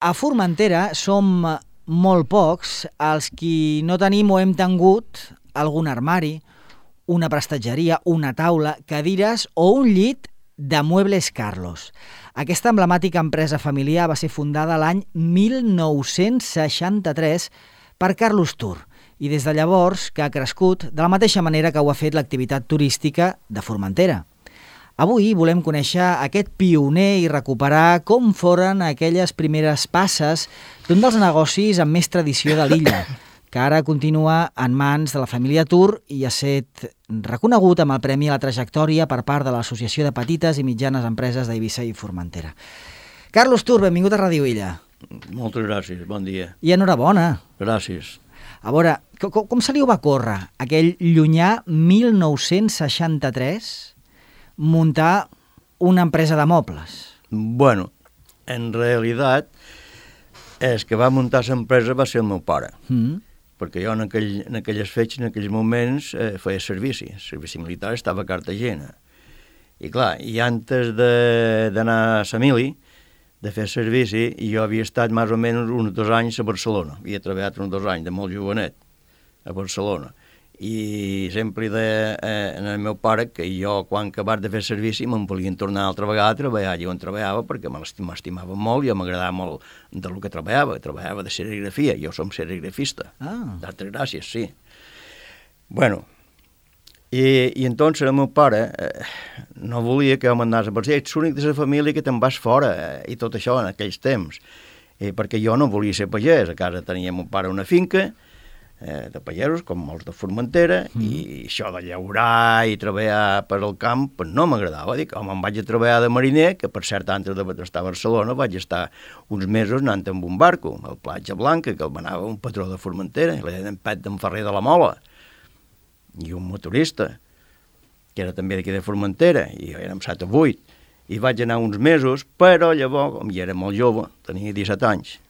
A Formentera som molt pocs els qui no tenim o hem tingut algun armari, una prestatgeria, una taula, cadires o un llit de Muebles Carlos. Aquesta emblemàtica empresa familiar va ser fundada l'any 1963 per Carlos Tur i des de llavors que ha crescut de la mateixa manera que ho ha fet l'activitat turística de Formentera. Avui volem conèixer aquest pioner i recuperar com foren aquelles primeres passes d'un dels negocis amb més tradició de l'illa, que ara continua en mans de la família Tur i ha estat reconegut amb el Premi a la Trajectòria per part de l'Associació de Petites i Mitjanes Empreses d'Eivissa i Formentera. Carlos Tur, benvingut a Ràdio Illa. Moltes gràcies, bon dia. I enhorabona. Gràcies. A veure, com se li ho va córrer aquell llunyà 1963 muntar una empresa de mobles? Bueno, en realitat, el que va muntar l'empresa va ser el meu pare, perquè jo en aquelles fetges, en aquells moments, feia servici. El servici militar estava a Cartagena. I clar, i antes d'anar a Samili, de fer servici, jo havia estat més o menys uns 2 anys a Barcelona. Havia treballat uns 2 anys, de molt jovenet, a Barcelona. I sempre en el meu pare que jo, quan acabat de fer servici, me'n volien tornar altra vegada a treballar allà on treballava, perquè m'estimava molt i m'agradava molt del que treballava de serigrafia. Jo som serigrafista. D'altres gràcies, sí. Bueno, i entonces el meu pare no volia que jo m'anés a Barcelona. Ets l'únic de la família que te'n vas fora, i tot això en aquells temps, perquè jo no volia ser pagès. A casa tenia el meu pare una finca de pagesos, com molts de Formentera, i això de llaurar i treballar per al camp, pues no m'agradava. Dic, home, em vaig a treballar de mariner, que per cert, antes d'estar a Barcelona, vaig estar uns mesos anant amb un barco, al Platja Blanca, que el manava un patró de Formentera, i l'era d'en Pet d'en Ferrer de la Mola, i un motorista, que era també d'aquí de Formentera, i jo érem 7 o 8, i vaig anar uns mesos, però llavors, com ja era molt jove, tenia 17 anys,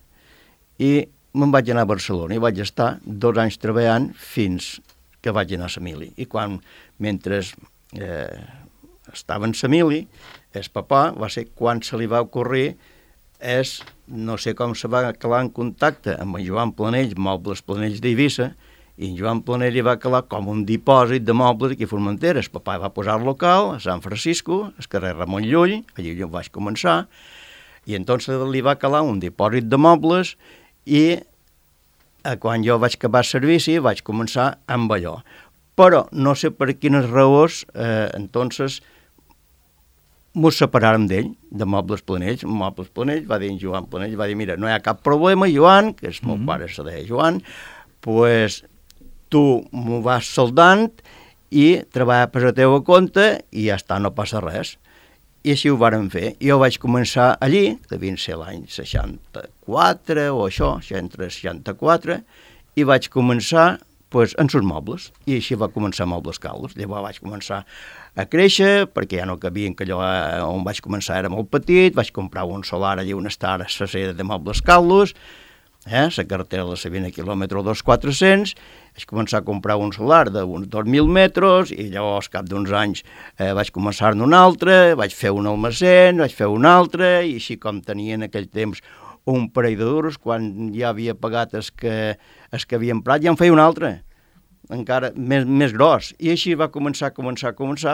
i me'n vaig anar a Barcelona i vaig estar 2 anys treballant fins que vaig anar a Samili. I mentre estava en Samili, el papà va ser quan se li va ocorrir, no sé com se va calar en contacte amb en Joan Planell, Mobles Planells d'Eivissa, i en Joan Planell hi va calar com un dipòsit de mobles aquí a Formentera. El papà va posar el local a Sant Francisco, al carrer Ramon Llull, allà jo vaig començar, i entonces li va calar un dipòsit de mobles. I quan jo vaig acabar el servici vaig començar amb allò. Però no sé per quines raons, entonces, mos separàrem d'ell, de Mobles Planells. Mobles Planells va dir en Joan Planell, va dir, mira, no hi ha cap problema, Joan, que el meu pare se deia Joan, pues tu m'ho vas soldant i treballa per la teva compte i ja està, no passa res. I així ho vàrem fer. Jo vaig començar allí, devien ser l'any 64 o això, entre 64, i vaig començar en els mobles. I així va començar Mobles Carlos. Llavors vaig començar a créixer, perquè ja no cabien, que allò on vaig començar era molt petit, vaig comprar un solar allà on està la sede de Mobles Carlos, la carretera de la 20 quilòmetres 2400, vaig començar a comprar un solar d'uns 2.000 metres i llavors, cap d'uns anys, vaig començar-ne un altre, vaig fer un almacén, vaig fer un altre, i així com tenia en aquell temps un parell de duros, quan ja havia pagat el que havia emprat, ja en feia un altre, encara més gros. I així va començar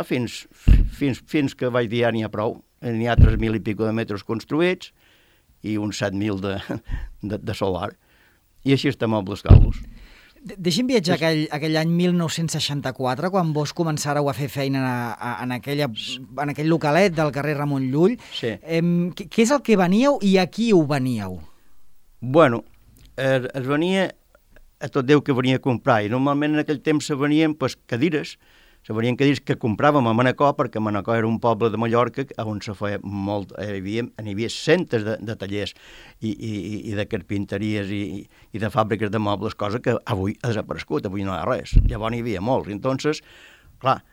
fins que vaig dir, ja n'hi ha prou, n'hi ha 3.000 i pico de metres construïts, i uns 7.000 de solar. I així està Mobles Carlos. Deixi'm viatjar aquell any 1964, quan vos començàreu a fer feina en aquell localet del carrer Ramon Llull. Sí. Què és el que veníeu i a qui ho veníeu? Bueno, es venia a tot Déu que venia a comprar, i normalment en aquell temps se venien cadires, que compràvem a Manacor, perquè Manacor era un poble de Mallorca on se feia molt, hi havia centres de tallers i de carpinteries i de fàbriques de mobles, cosa que avui ha desaparegut, avui no hi ha res. Llavors n'hi havia molts. Entonces, clar,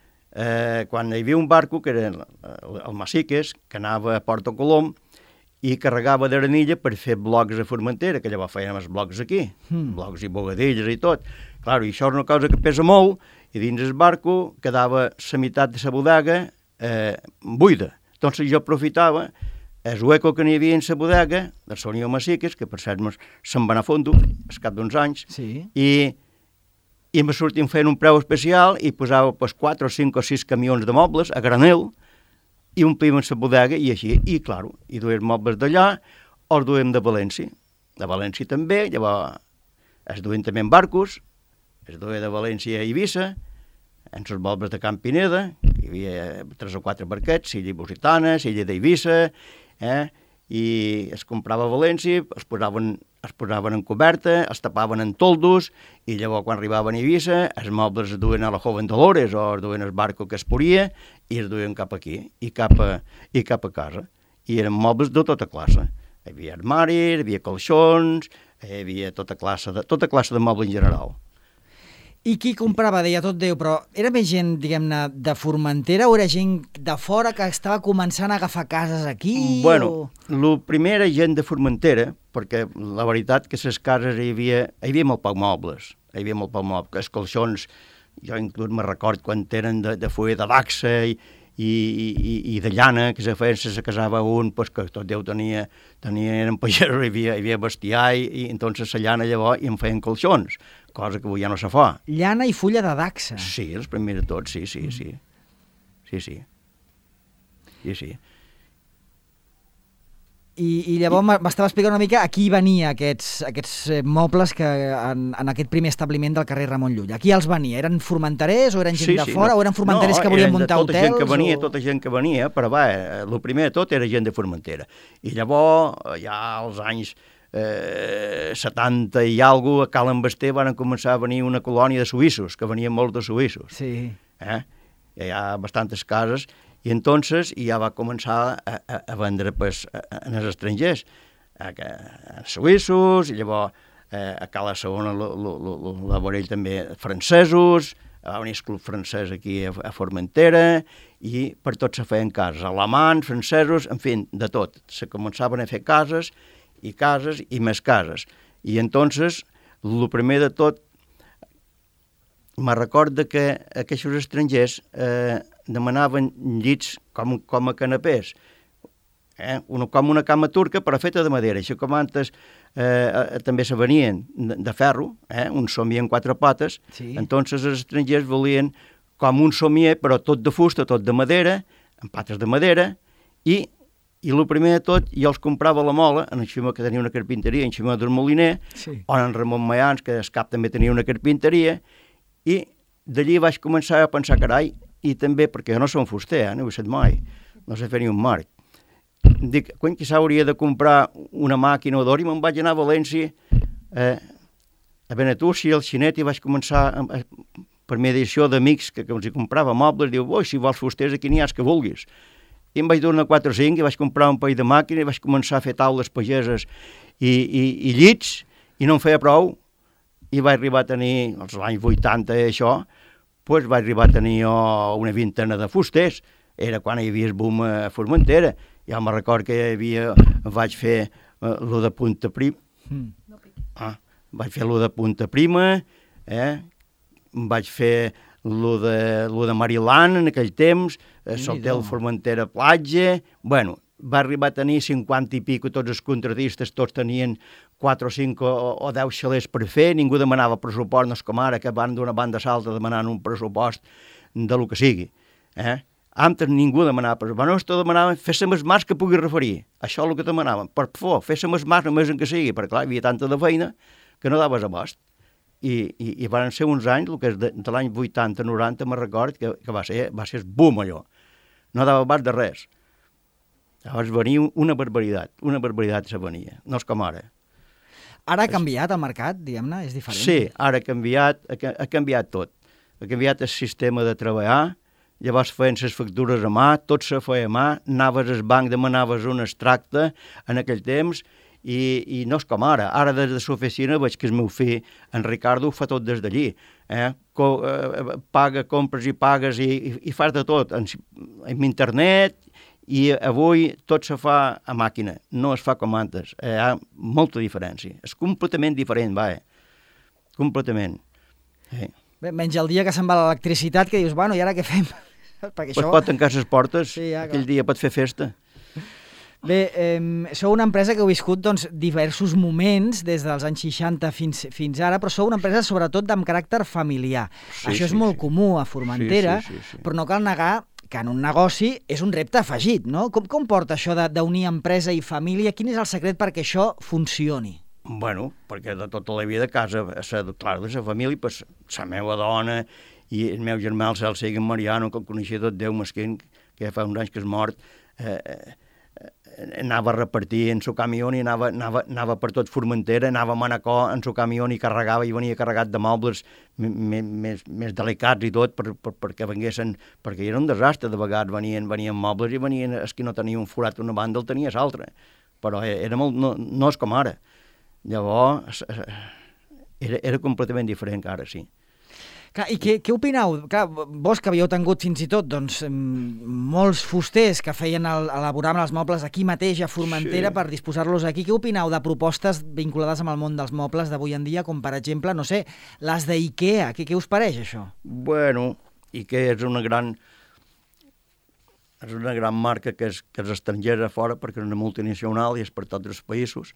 quan hi havia un barco, que era el Massiques, que anava a Porto Colom, i carregava d'arenilla per fer blocs a Formentera, que llavors fèiem els blocs aquí, blocs i bogadilles i tot. Clar, i això és una cosa que pesa molt, i dins el barco quedava la meitat de la bodega buida. Entonces jo aprofitava el hueco que n'hi havia en la bodega, del Sonio Massiques, que per cert se'n va anar a fondo, al cap d'uns anys, Sí. i me sortien fent un preu especial i posava 4 o 5 o 6 camions de mobles a granel i omplíem la bodega i així. I, clar, i duem mobles d'allà o els duem de València. De València també, llavors es duem també en barcos, es duia de València a Eivissa, en els mobles de Can Pineda, hi havia 3 o 4 barquets, Illa Lusitana, Illa d'Eivissa, i es comprava a València, es posaven en coberta, es tapaven en toldos, i llavors quan arribaven a Eivissa, els mobles es duien a la Joven Dolores o es duien al barco que es poria i es duien cap aquí, i cap a casa. I eren mobles de tota classe. Hi havia armaris, hi havia colxons, hi havia tota classe de moble en general. I qui comprava, deia tot Déu, però era més gent, diguem-ne, de Formentera o era gent de fora que estava començant a agafar cases aquí? Bueno, el primer era gent de Formentera, perquè la veritat que les cases hi havia molt poc mobles, els colxons, jo inclús me record quan eren de fulla de dacsa i de llana, que se casava un, pues, que tot Déu eren pagesos, hi havia bestiar, i entonces la llana llavors i en feien colxons, cosa que avui ja no se fa. Llana i fulla de dacsa. Sí, els primers de tots, sí. I llavors m'estava explicant una mica a qui venia aquests mobles que en aquest primer establiment del carrer Ramon Llull. A qui els venia? Eren formenterers o eren gent de fora? O eren formenterers que volien muntar hotels? Tota gent que venia, però el primer de tot era gent de Formentera. I llavors, ja als anys 70 i alguna cosa, a Cal Basté van començar a venir una colònia de suïssos, que venien molts de suïssos. Sí. Hi ha bastantes cases, i entonces ja va començar a vendre pues, als estrangers, a suïssos, i llavors a Cala Segona la Vorell també francesos, va venir el club francès aquí a Formentera, i per tot se feien cases, alemans, francesos, en fi, de tot. Se començaven a fer cases i més cases. I entonces, el primer de tot, me recorda que aquests estrangers demanaven llits com a canapés, com una cama turca però feta de madera. Això com antes també se venien de ferro, un somier en 4 potes, sí. Entonces els estrangers volien com un somier però tot de fusta, tot de madera, amb pates de madera, i el primer de tot jo els comprava a la Mola, en Ximó que tenia una carpinteria, en Ximó del Moliner, sí. O en Ramon Mayans, que el cap també tenia una carpinteria, i d'allí vaig començar a pensar, carai, i també, perquè jo no som fuster, no ho he fet mai, no sé fer ni un marc. Dic, quan quizà hauria de comprar una màquina o d'or, i me'n vaig anar a València, a Benetússia, al Xinet, i vaig començar, per mediació d'amics que els hi comprava mobles, diu, si vols fusters aquí n'hi ha els que vulguis. I em vaig donar 4 o 5, i vaig comprar un parell de màquines, i vaig començar a fer taules pageses i llits, i no em feia prou, i vaig arribar a tenir, als anys 80 i això, doncs vaig arribar a tenir una vintena de fusters. Era quan hi havia el boom a Formentera. Ja me'n record que vaig fer lo de Punta Prima. Vaig fer lo de Punta Prima, vaig fer lo de Mariland en aquell temps, l'hotel Formentera Platja. Bueno, va arribar a tenir 50 i pico, tots els contratistes, tots tenien 4 o 5 o 10 xalers per fer, ningú demanava pressupost, no és com ara, que van d'una banda a l'altra demanant un pressupost de lo que sigui. Antes ningú demanava pressupost, no, esto demanaven, fes-se més mas que pugui referir, això és el que demanaven, per favor, fes-se més mas només en que sigui, perquè clar, hi havia tanta de feina que no daves abast. I van ser uns anys, el que és de l'any 80-90, me'n record, que va ser el boom allò, no dava abast de res. Llavors venia una barbaritat se venia, no és com ara. Ara ha canviat el mercat, diguem-ne, és diferent? Sí, ara ha canviat tot. Ha canviat el sistema de treballar, llavors feien les factures a mà, tot se feia a mà, anaves al banc, demanaves un extracte en aquell temps, i no és com ara. Ara des de l'oficina veig que el meu fill, en Ricardo, ho fa tot des d'allí. Paga, compres i pagues i fas de tot, en internet. I avui tot se fa a màquina, no es fa com antes. Hi ha molta diferència. És completament diferent, completament. Bé, menys el dia que se'n va l'electricitat, que dius, bueno, i ara què fem? Pot tancar les portes, aquell dia pot fer festa. Bé, sou una empresa que heu viscut doncs, diversos moments des dels anys 60 fins ara, però sou una empresa sobretot amb caràcter familiar. Això és molt comú a Formentera, però no cal negar que en un negoci és un repte afegit, no? Com porta això d'unir empresa i família? Quin és el secret perquè això funcioni? Bueno, perquè de tota la vida a casa, clar, de la família, pues, la meva dona i el meu germà, el Celso Mariano, que el coneixia tot Déu mesquin, que ja fa uns anys que és mort, anava a repartir en su camió i anava per tot Formentera, anava a Manacor en su camió i carregava, i venia carregat de mobles més delicats i tot perquè venguessin, perquè era un desastre de vegades, venien mobles i venien, els que no tenia un forat una banda el tenia l'altra, però era molt, no és com ara. Llavors era completament diferent que ara, sí. Clar, i què opineu? Clar, vos que havíeu tingut fins i tot doncs, molts fusters que elaboraven els mobles aquí mateix a Formentera per disposar-los aquí, què opineu de propostes vinculades amb el món dels mobles d'avui en dia, com per exemple, no sé, les d'IKEA? Què us pareix això? Bueno, IKEA és una gran marca que és estrangera fora perquè és una multinacional i és per tots els països,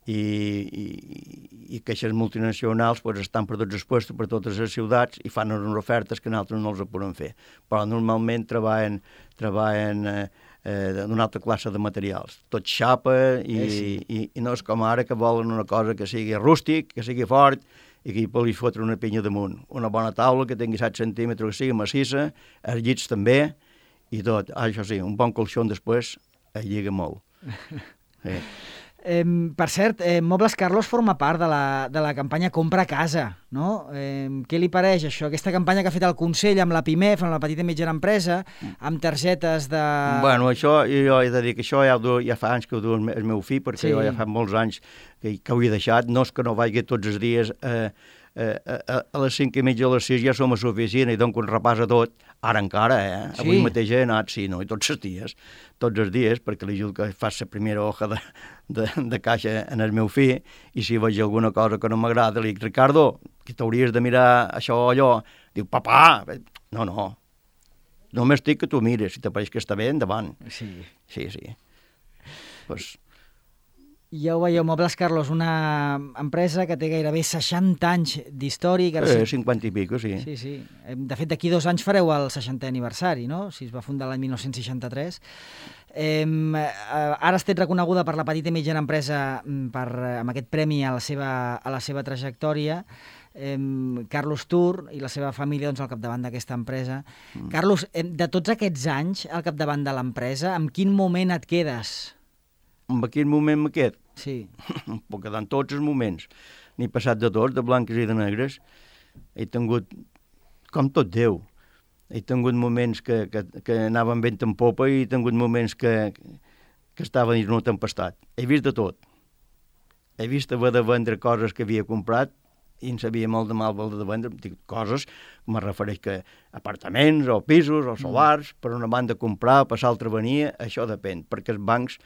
i que aquestes multinacionals pues, estan per tots els puestos, per totes les ciutats i fan unes ofertes que nosaltres no els podem fer. Però normalment treballen d'una altra classe de materials. Tot xapa i no és com ara que volen una cosa que sigui rústic, que sigui fort i que hi pugui fotre una pinya damunt. Una bona taula que tingui 7 centímetres, que sigui massissa, els llits també i tot. Això sí, un bon colxó després es lliga molt. Sí. Per cert, Mobles Carlos forma part de la campanya Compra Casa, no? Què li pareix això? Aquesta campanya que ha fet el Consell amb la PIMEF, amb la petita i mitjana empresa, amb targetes de... Bueno, això jo he de dir que això ja fa anys que ho du el meu fill, perquè jo ja fa molts anys que ho he deixat. No és que no vagi tots els dies a les 5:30 o a les 6 ja som a l'oficina i dono un repàs a tot, ara encara, Sí. Avui mateix he anat, sí, no? I tots els dies, perquè li ajudo que faci la primera hoja de caixa en el meu fill, i si veig alguna cosa que no m'agrada, li dic, Ricardo, que t'hauries de mirar això o allò. Diu, papà, no, només dic que tu mires, si t'apareix que està bé, endavant. Sí. Pues... Ja ho veieu, Mobles Carlos, una empresa que té gairebé 60 anys d'història. 50 i pico, sí. Sí. De fet, d'aquí 2 anys fareu el 60è aniversari, no? Si es va fundar l'any 1963. Ara has estat reconeguda per la petita i mitjana empresa amb aquest premi a la seva trajectòria. Carlos Tur i la seva família al capdavant d'aquesta empresa. Carlos, de tots aquests anys al capdavant de l'empresa, en quin moment et quedes? En quin moment me quedo? Sí. Puc quedar en tots els moments. N'he passat de tots, de blanques i de negres. He tingut, com tot Déu, he tingut moments que anaven vent en popa i he tingut moments que estaven dins una tempestat. He vist de tot. He vist haver de vendre coses que havia comprat i en sabia molt de mal de vendre, coses, me refereix que apartaments o pisos o solars, per una banda comprar, per l'altra venia, això depèn, perquè els bancs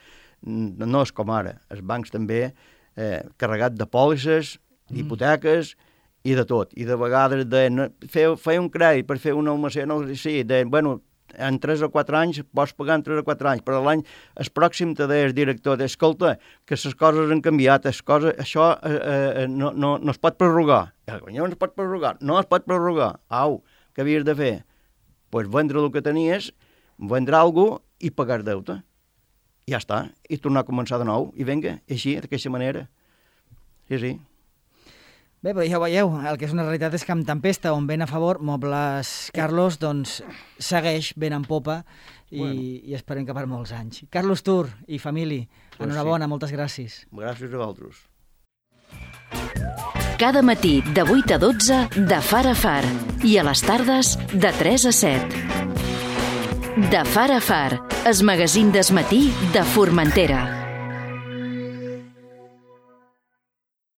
no és com ara, els bancs també carregat de pòlisses, d'hipoteques i de tot, i de vegades fer un crèdit per fer una almacén, en 3 o 4 anys pots pagar en 3 o 4 anys, però el pròxim te deia el director, escolta, que les coses han canviat, això no es pot prorrogar. No es pot prorrogar. Au, què havies de fer? Doncs vendre el que tenies, vendre alguna cosa i pagar deute. Ja està, i tornar a començar de nou, i vinga, així, d'aquesta manera. Sí. Bé, però ja ho veieu, el que és una realitat és que amb tempesta on ven a favor, Mobles Carlos, doncs, segueix ben en popa i esperem que per molts anys. Carlos Tur i família, enhorabona, moltes gràcies. Gràcies a vosaltres. Cada matí de 8 a 12 de Far a Far i a les tardes de 3 a 7. De Far a Far, el magazín del matí de Formentera.